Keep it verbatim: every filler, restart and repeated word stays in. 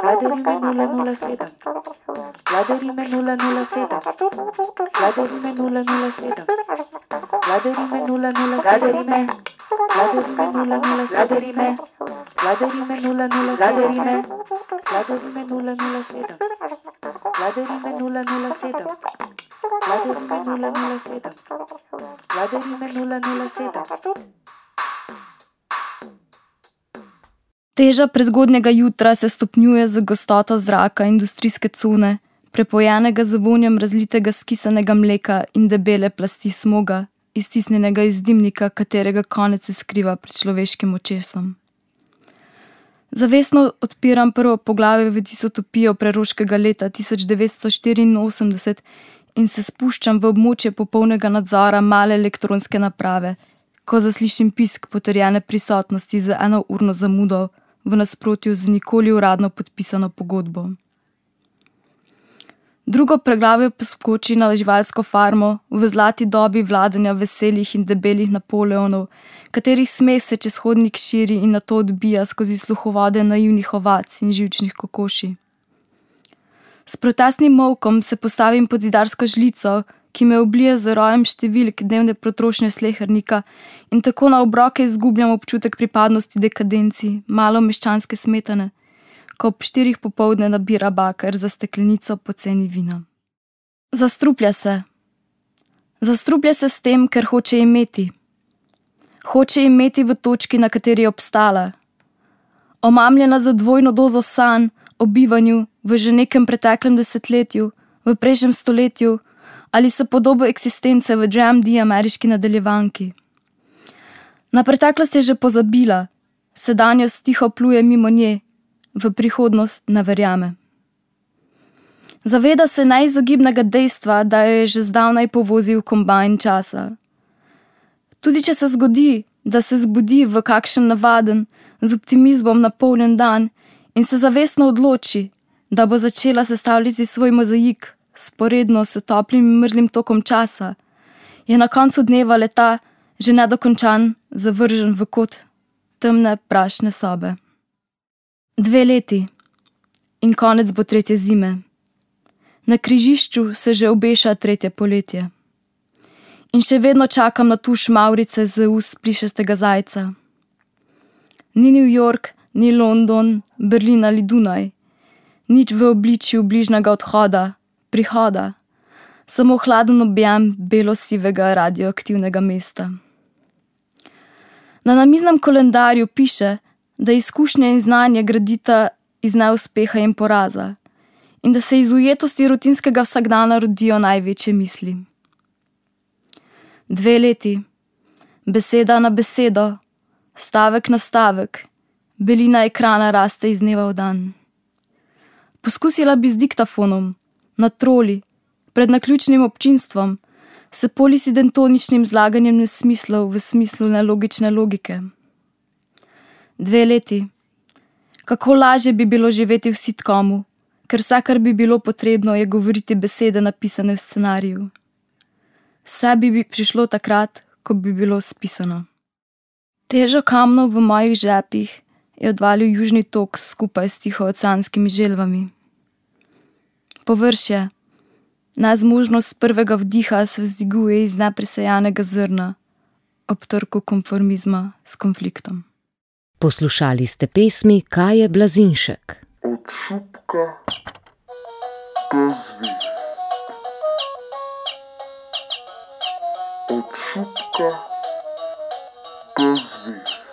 Vladarime nula nula sedem. Vladarime nula nula sedem. Vladarime nula nula sedem. Vladarime nula nula Vladarime. Vladarime nula nula Vladarime. Vladarime nula nula Vladarime. Vladarime nula nula sedem. Vladarime nula nula sedem. Vladarime nula nula sedem. Vladarime nula nula sedem. Teža prezgodnjega jutra se stopnjuje z gostoto zraka industrijske cone, prepojenega z vonjem razlitega skisanega mleka in debele plasti smoga, iztisnjenega iz dimnika, katerega konec se skriva pred človeškim očesom. Zavestno odpiram prvo poglavje v distopijo preroškega leta tisoč devetsto štiriinosemdeset in se spuščam v območje popolnega nadzora male elektronske naprave, ko zaslišim pisk potrjene prisotnosti z eno urno zamudo v nasprotju z nikoli uradno podpisano pogodbo. Drugo preglavje poskoči na živalsko farmo v zlati dobi vladanja veselih in debelih Napoleonov, katerih smeh se čez hodnik širi in nato odbija skozi sluhovode naivnih ovac in živčnih kokoši. S protestnim molkom se postavim pod zidarsko žlico, ki me oblije z rojem številk dnevne potrošnje slehernika in tako na obroke izgubljam občutek pripadnosti dekadenci, malo meščanske smetane, ko ob štirih popoldne nabira baker za steklenico poceni vina. Zastruplja se. Zastruplja se s tem, ker hoče imeti. Hoče imeti v točki, na kateri je obstala. Omamljena za dvojno dozo sanj o bivanju v že nekem preteklem desetletju, v prejšnjem stoletju ali s podobo eksistence v Dram D ameriški nadaljevanki. Na preteklost je že pozabila, sedanjost tiho pluje mimo nje, v prihodnost ne verjame. Zaveda se neizogibnega dejstva, da jo je že zdavnaj povozil kombajn časa. Tudi če se zgodi, da se zbudi v kakšen navaden, z optimizmom napolnjen dan in se zavestno odloči, da bo začela sestavljati svoj mozaik sporedno s toplim in mrzlim tokom časa, je na koncu dneva leta že nedokončan, zavržen v kot temne prašne sobe. Dve leti in konec bo tretje zime. Na križišču se že obeša tretje poletje. In še vedno čakam na tuš mavrice z ust plišastega zajca. Ni New York, ni London, Berlin ali Dunaj. Nič v obličju bližnjega odhoda, prihoda. Samo hladen objem belo-sivega radioaktivnega mesta. Na namiznem koledarju piše, da izkušnje in znanje gradita iz neuspeha in poraza in da se iz ujetosti rutinskega vsakdana rodijo največje misli. Dve leti, beseda na besedo, stavek na stavek, belina ekrana raste iz dneva v dan. Poskusila bi z diktafonom, na troli, pred naključnim občinstvom, s polisidentoničnim zlaganjem nesmislov v smislu nelogične logike. Dve leti. Kako lažje bi bilo živeti v sitcomu, ker vse, kar bi bilo potrebno, je govoriti besede napisane v scenariju. Vse bi prišlo takrat, ko bi bilo spisano. Težo kamnov v mojih žepih je odvalil južni tok skupaj s tihooceanskimi želvami. Površje, nezmožnost prvega vdiha se vzdiguje iz nepresejanega zrna, ob trku konformizma s konfliktom. Poslušali ste pesmi Kaje Blazinšek. Od šupka do zvezd. Od šupka do zvezd.